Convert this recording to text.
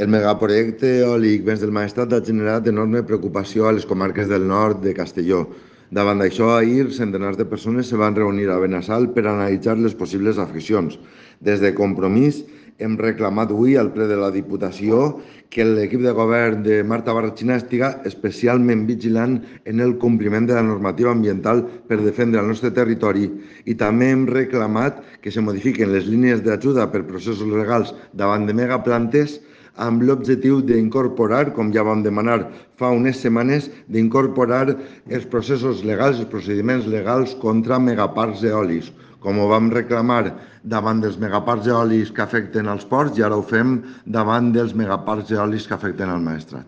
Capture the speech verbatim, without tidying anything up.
El megaprojecte eòlic Vents del Maestrat ha generat enorme preocupació a les comarques del nord de Castelló. Davant d'això, ahir, centenars de persones se van reunir a Benassal per analitzar les possibles afeccions. Des de Compromís hem reclamat avui al ple de la Diputació que l'equip de govern de Marta Barrachina estiga especialment vigilant en el compliment de la normativa ambiental per defendre el nostre territori i també hem reclamat que se modifiquen les línies d'ajuda per processos legals davant de megaplantes amb l'objectiu d'incorporar, com ja vam demanar fa unes setmanes, d'incorporar els processos legals, els procediments legals contra megaparcs eòlics, com ho vam reclamar davant dels megaparcs eòlics que afecten els ports i ara ho fem davant dels megaparcs eòlics que afecten el Maestrat.